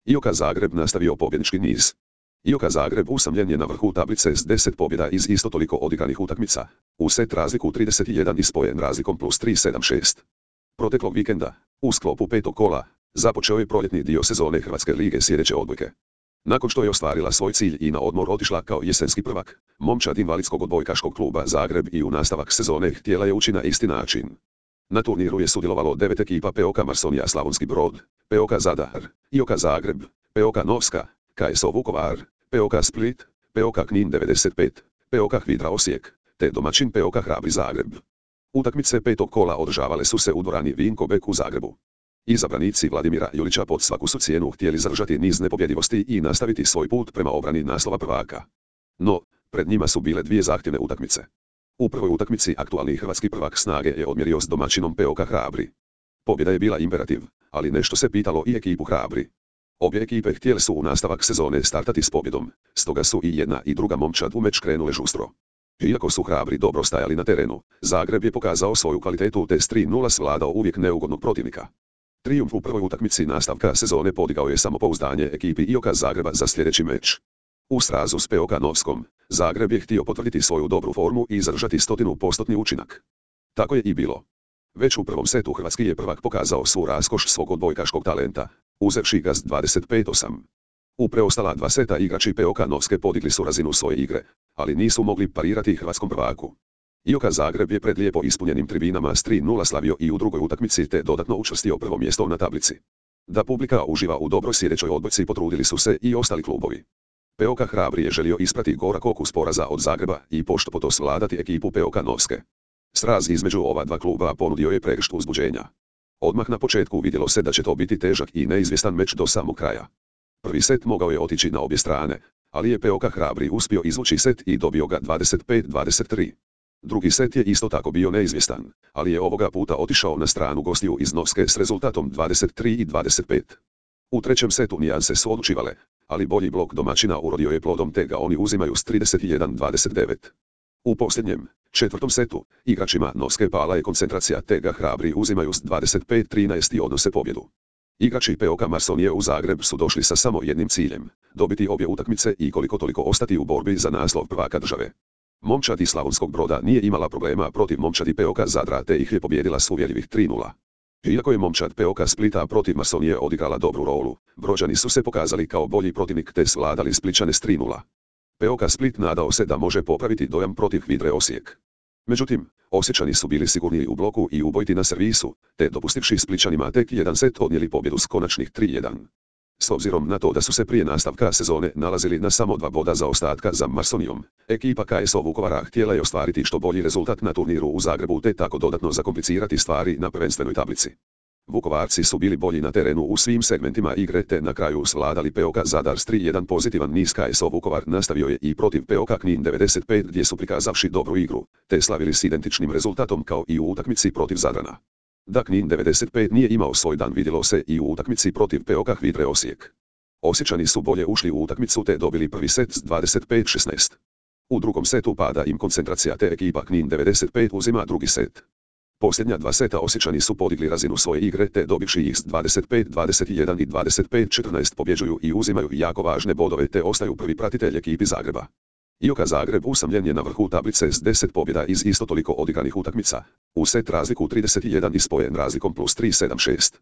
IOK Zagreb nastavio pobjednički niz. IOK Zagreb usamljen je na vrhu tablice s 10 pobjeda iz isto toliko odigranih utakmica, u set razliku 31 i spojen razlikom plus 3-7-6. Proteklog vikenda, u sklopu petog kola, započeo je proljetni dio sezone Hrvatske lige sljedeće odbojke. Nakon što je ostvarila svoj cilj i na odmor otišla kao jesenski prvak, momčad invalidskog odbojkaškog kluba Zagreb i u nastavak sezone htjela je ući na isti način. Na turniru je sudjelovalo 9 ekipa POK Marsonija Slavonski Brod, POK Zadar, IOK Zagreb, POK Novska, KSO Vukovar, POK Split, POK Knin 95, POK Hvidra Osijek, te domaćin POK Hrabri Zagreb. Utakmice petog kola održavale su se u dvorani Vinko Bek u Zagrebu. Izabranici Vladimira Julića pod svaku su cijenu htjeli zadržati niz nepobjedivosti i nastaviti svoj put prema obrani naslova prvaka. No, pred njima su bile dvije zahtjevne utakmice. U prvoj utakmici aktualni hrvatski prvak Snage je odmjerio s domaćinom POK Hrabri. Pobjeda je bila imperativ, ali nešto se pitalo i ekipu Hrabri. Obje ekipe htjele su u nastavak sezone startati s pobjedom, stoga su i jedna i druga momčad u meč krenule žustro. Iako su Hrabri dobro stajali na terenu, Zagreb je pokazao svoju kvalitetu te s 3:0 svladao uvijek neugodnog protivnika. Trijumf u prvoj utakmici nastavka sezone podigao je samopouzdanje ekipi IOK Zagreba za sljedeći meč. U srazu s POK Novskom, Zagreb je htio potvrditi svoju dobru formu i zadržati 100% učinak. Tako je i bilo. Već u prvom setu hrvatski je prvak pokazao svu raskoš svog odbojkaškog talenta, uzevši ga s 25:8. U preostala dva seta igrači POK Novske podigli su razinu svoje igre, ali nisu mogli parirati hrvatskom prvaku. IOK Zagreb je pred lijepo ispunjenim tribinama s 3:0 slavio i u drugoj utakmici te dodatno učvrstio prvo mjesto na tablici. Da publika uživa u dobroj sljedećoj odbojci potrudili su se i ostali klubovi. POK Hrabri je želio isprati gorak okus poraza od Zagreba i pošto svladati ekipu POK Novske. Sraz između ova dva kluba ponudio je pregršt uzbuđenja. Odmah na početku vidjelo se da će to biti težak i neizvjestan meč do samog kraja. Prvi set mogao je otići na obje strane, ali je POK Hrabri uspio izvući set i dobio ga 25-23. Drugi set je isto tako bio neizvjestan, ali je ovoga puta otišao na stranu gostiju iz Novske s rezultatom 23-25. U trećem setu nijanse su odlučivale, ali bolji blok domaćina urodio je plodom te ga oni uzimaju s 31-29. U posljednjem, četvrtom setu, igračima Novske pala je koncentracija te ga Hrabri uzimaju s 25-13 i odnose pobjedu. Igrači POK Marsonije u Zagreb su došli sa samo jednim ciljem, dobiti obje utakmice i koliko toliko ostati u borbi za naslov prvaka države. Momčad iz Slavonskog Broda nije imala problema protiv momčadi POK Zadra te ih je pobijedila s uvjerljivih 3:0. Iako je momčad POK Splita protiv Marsonije odigrala dobru rolu, Brođani su se pokazali kao bolji protivnik te svladali Splićane s 3:0. POK Split nadao se da može popraviti dojam protiv Hvidre Osijek. Međutim, Osječani su bili sigurniji u bloku i ubojiti na servisu, te dopustivši Splićanima tek jedan set odnijeli pobjedu s konačnih 3:1. S obzirom na to da su se prije nastavka sezone nalazili na samo 2 boda zaostatka za Marsonijom, ekipa KSO Vukovara htjela je ostvariti što bolji rezultat na turniru u Zagrebu te tako dodatno zakomplicirati stvari na prvenstvenoj tablici. Vukovarci su bili bolji na terenu u svim segmentima igre te na kraju svladali POK Zadar s 3:1. Pozitivan niz KSO Vukovar nastavio je i protiv POK Knin 95 gdje su prikazavši dobru igru, te slavili s identičnim rezultatom kao i u utakmici protiv Zadrana. Da Knin 95 nije imao svoj dan vidjelo se i u utakmici protiv POK Hvidre Osijek. Osječani su bolje ušli u utakmicu te dobili prvi set s 25-16. U drugom setu pada im koncentracija te ekipa Knin 95 uzima drugi set. Posljednja dva seta Osječani su podigli razinu svoje igre te dobivši ih s 25-21 i 25-14 pobjeđuju i uzimaju jako važne bodove te ostaju prvi pratitelj ekipi Zagreba. IOK Zagreb usamljen je na vrhu tablice s 10 pobjeda iz isto toliko odigranih utakmica, u set razliku 31 i spojen razlikom plus 3-7-6.